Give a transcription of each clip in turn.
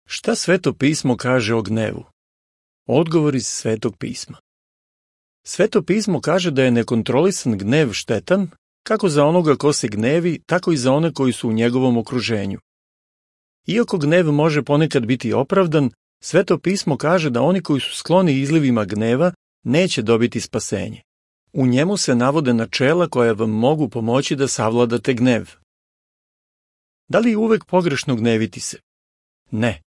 Šta Sveto pismo kaže o gnevu? Odgovor iz Svetog pisma. Sveto pismo kaže da je nekontrolisan gnev štetan, kako za onoga ko se gnevi, tako i za one koji su u njegovom okruženju. Iako gnev može ponekad biti opravdan, Sveto pismo kaže da oni koji su skloni izlivima gneva neće dobiti spasenje. U njemu se navode načela koja vam mogu pomoći da savladate gnev. Da li je uvek pogrešno gneviti se? Ne.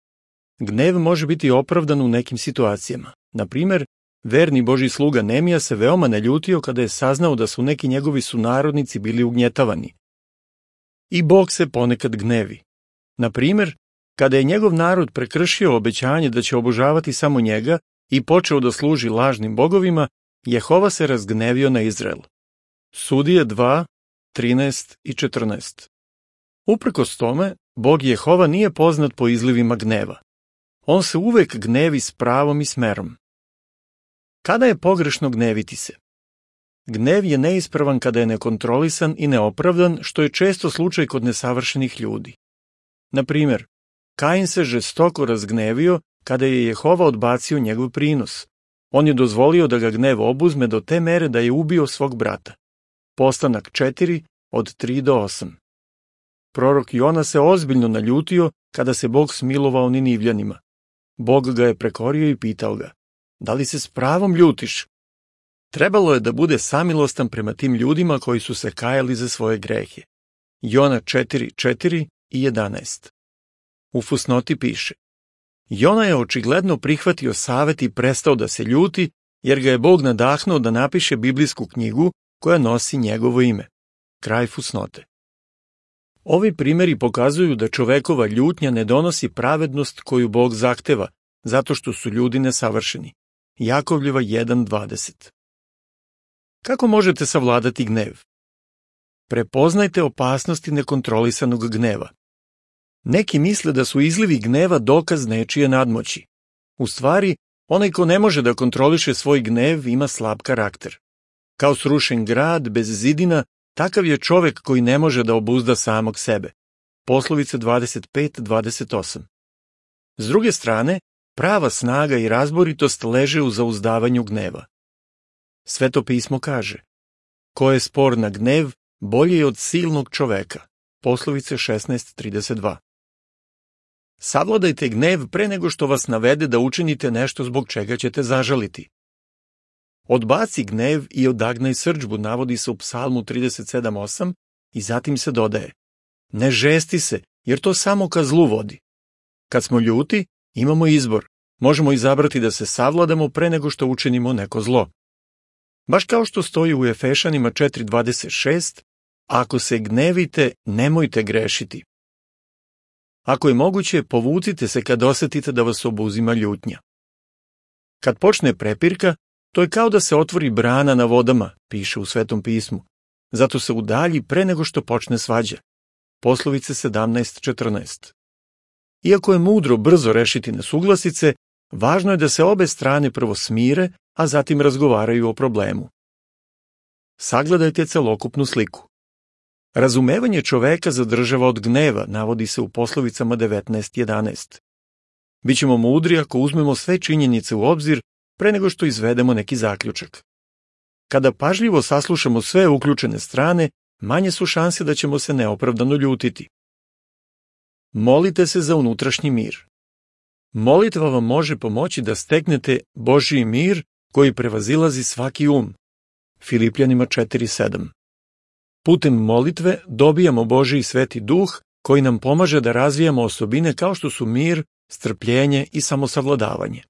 Gnev može biti opravdan u nekim situacijama. Na primer, verni Božji sluga Nemija se veoma naljutio kada je saznao da su neki njegovi sunarodnici bili ugnjetavani. I Bog se ponekad gnevi. Na primer, kada je njegov narod prekršio obećanje da će obožavati samo njega i počeo da služi lažnim bogovima, Jehova se razgnevio na Izrael. Sudije 2, 13 i 14. Uprkos tome, Bog Jehova nije poznat po izlivima gneva. On se uvek gnevi s pravom i smerom. Kada je pogrešno gneviti se? Gnev je neispravan kada je nekontrolisan i neopravdan, što je često slučaj kod nesavršenih ljudi. Na primer, Kain se žestoko razgnevio kada je Jehova odbacio njegov prinos. On je dozvolio da ga gnev obuzme do te mere da je ubio svog brata. Postanak 4, od 3 do 8. Prorok Jona se ozbiljno naljutio kada se Bog smilovao Ninivljanima. Bog ga je prekorio i pitao ga: da li se s pravom ljutiš? Trebalo je da bude samilostan prema tim ljudima koji su se kajali za svoje grehe. Jona 4, 4 i 11. U fusnoti piše: Jona je očigledno prihvatio savet i prestao da se ljuti, jer ga je Bog nadahnuo da napiše biblijsku knjigu koja nosi njegovo ime. Kraj fusnote. Ovi primeri pokazuju da čovekova ljutnja ne donosi pravednost koju Bog zahteva, zato što su ljudi nesavršeni. Jakovljeva 1.20. Kako možete savladati gnev? Prepoznajte opasnosti nekontrolisanog gneva. Neki misle da su izlivi gneva dokaz nečije nadmoći. U stvari, onaj ko ne može da kontroliše svoj gnev ima slab karakter. Kao srušen grad bez zidina, takav je čovek koji ne može da obuzda samog sebe. Poslovice 25-28. S druge strane, prava snaga i razboritost leže u zauzdavanju gneva. Sveto pismo kaže: ko je spor na gnev, bolje je od silnog čoveka. Poslovice 16:32. Savladajte gnev pre nego što vas navede da učinite nešto zbog čega ćete zažaliti. Odbaci gnev i odagnaj srdžbu, navodi se u Psalmu 37:8 i zatim se dodaje: ne žesti se, jer to samo ka zlu vodi. Kad smo ljuti, imamo izbor. Možemo izabrati da se savladamo pre nego što učinimo neko zlo. Baš kao što stoji u Efešanima 4:26, ako se gnevite, nemojte grešiti. Ako je moguće, povucite se kad osetite da vas obuzima ljutnja. Kad počne prepirka, to je kao da se otvori brana na vodama, piše u Svetom pismu. Zato se udalji pre nego što počne svađa. Poslovice 17:14. Iako je mudro brzo rešiti nesuglasice, važno je da se obe strane prvo smire, a zatim razgovaraju o problemu. Sagledajte celokupnu sliku. Razumevanje čoveka zadržava od gneva, navodi se u Poslovicama 19:11. Bićemo mudri ako uzmemo sve činjenice u obzir pre nego što izvedemo neki zaključak. Kada pažljivo saslušamo sve uključene strane, manje su šanse da ćemo se neopravdano ljutiti. Molite se za unutrašnji mir. Molitva vam može pomoći da steknete Božji mir koji prevazilazi svaki um. Filipljanima 4:7. Putem molitve dobijamo Božji sveti duh koji nam pomaže da razvijamo osobine kao što su mir, strpljenje i samosavladavanje.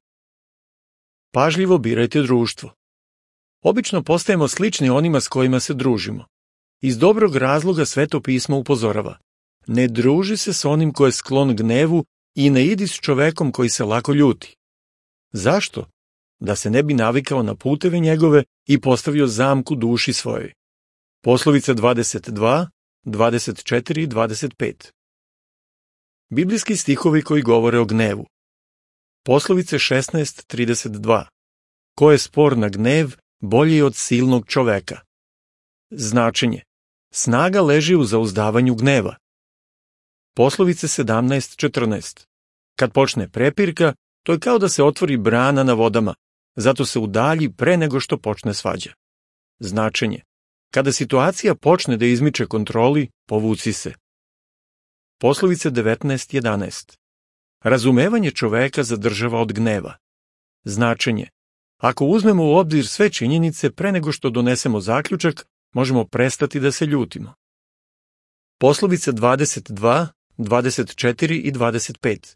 Pažljivo birajte društvo. Obično postajemo slični onima s kojima se družimo. Iz dobrog razloga Sveto pismo upozorava: ne druži se s onim ko je sklon gnevu i ne idi s čovekom koji se lako ljuti. Zašto? Da se ne bi navikao na puteve njegove i postavio zamku duši svojoj. Poslovice 22, 24 i 25. Biblijski stihovi koji govore o gnevu. Poslovice 16:32. Ko je spor na gnev, bolji je od silnog čoveka. Značenje: snaga leži u zauzdavanju gneva. Poslovice 17:14. Kad počne prepirka, to je kao da se otvori brana na vodama, zato se udalji pre nego što počne svađa. Značenje: kada situacija počne da izmiče kontroli, povuci se. Poslovice 19.11. Razumevanje čoveka zadržava od gneva. Značenje: ako uzmemo u obzir sve činjenice pre nego što donesemo zaključak, možemo prestati da se ljutimo. Poslovice 22, 24 i 25.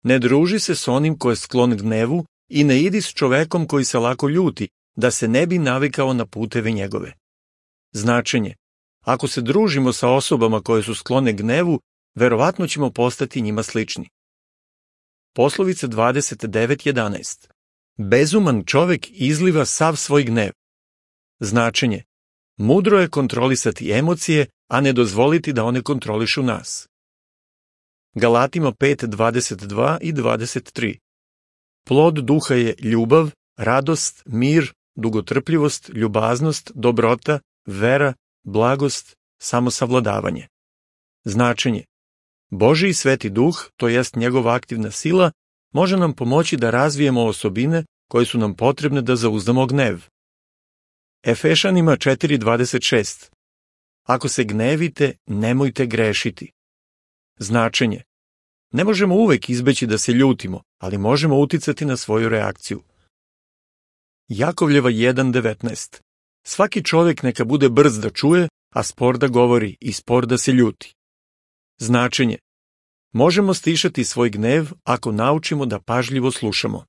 Ne druži se s onim ko je sklon gnevu i ne idi s čovekom koji se lako ljuti, da se ne bi navikao na puteve njegove. Značenje: ako se družimo sa osobama koje su sklone gnevu, verovatno ćemo postati njima slični. Poslovice 29.11. Bezuman čovek izliva sav svoj gnev. Značenje: mudro je kontrolisati emocije, a ne dozvoliti da one kontrolišu nas. Galatima 5.22 i 23. Plod duha je ljubav, radost, mir, dugotrpljivost, ljubaznost, dobrota, vera, blagost, samosavladavanje. Značenje: Božji sveti duh, to jest njegova aktivna sila, može nam pomoći da razvijemo osobine koje su nam potrebne da zauzdamo gnev. Efešanima 4.26. Ako se gnevite, nemojte grešiti. Značenje: ne možemo uvek izbeći da se ljutimo, ali možemo uticati na svoju reakciju. Jakovljeva 1.19. Svaki čovek neka bude brz da čuje, a spor da govori i spor da se ljuti. Značenje: možemo stišati svoj gnev ako naučimo da pažljivo slušamo.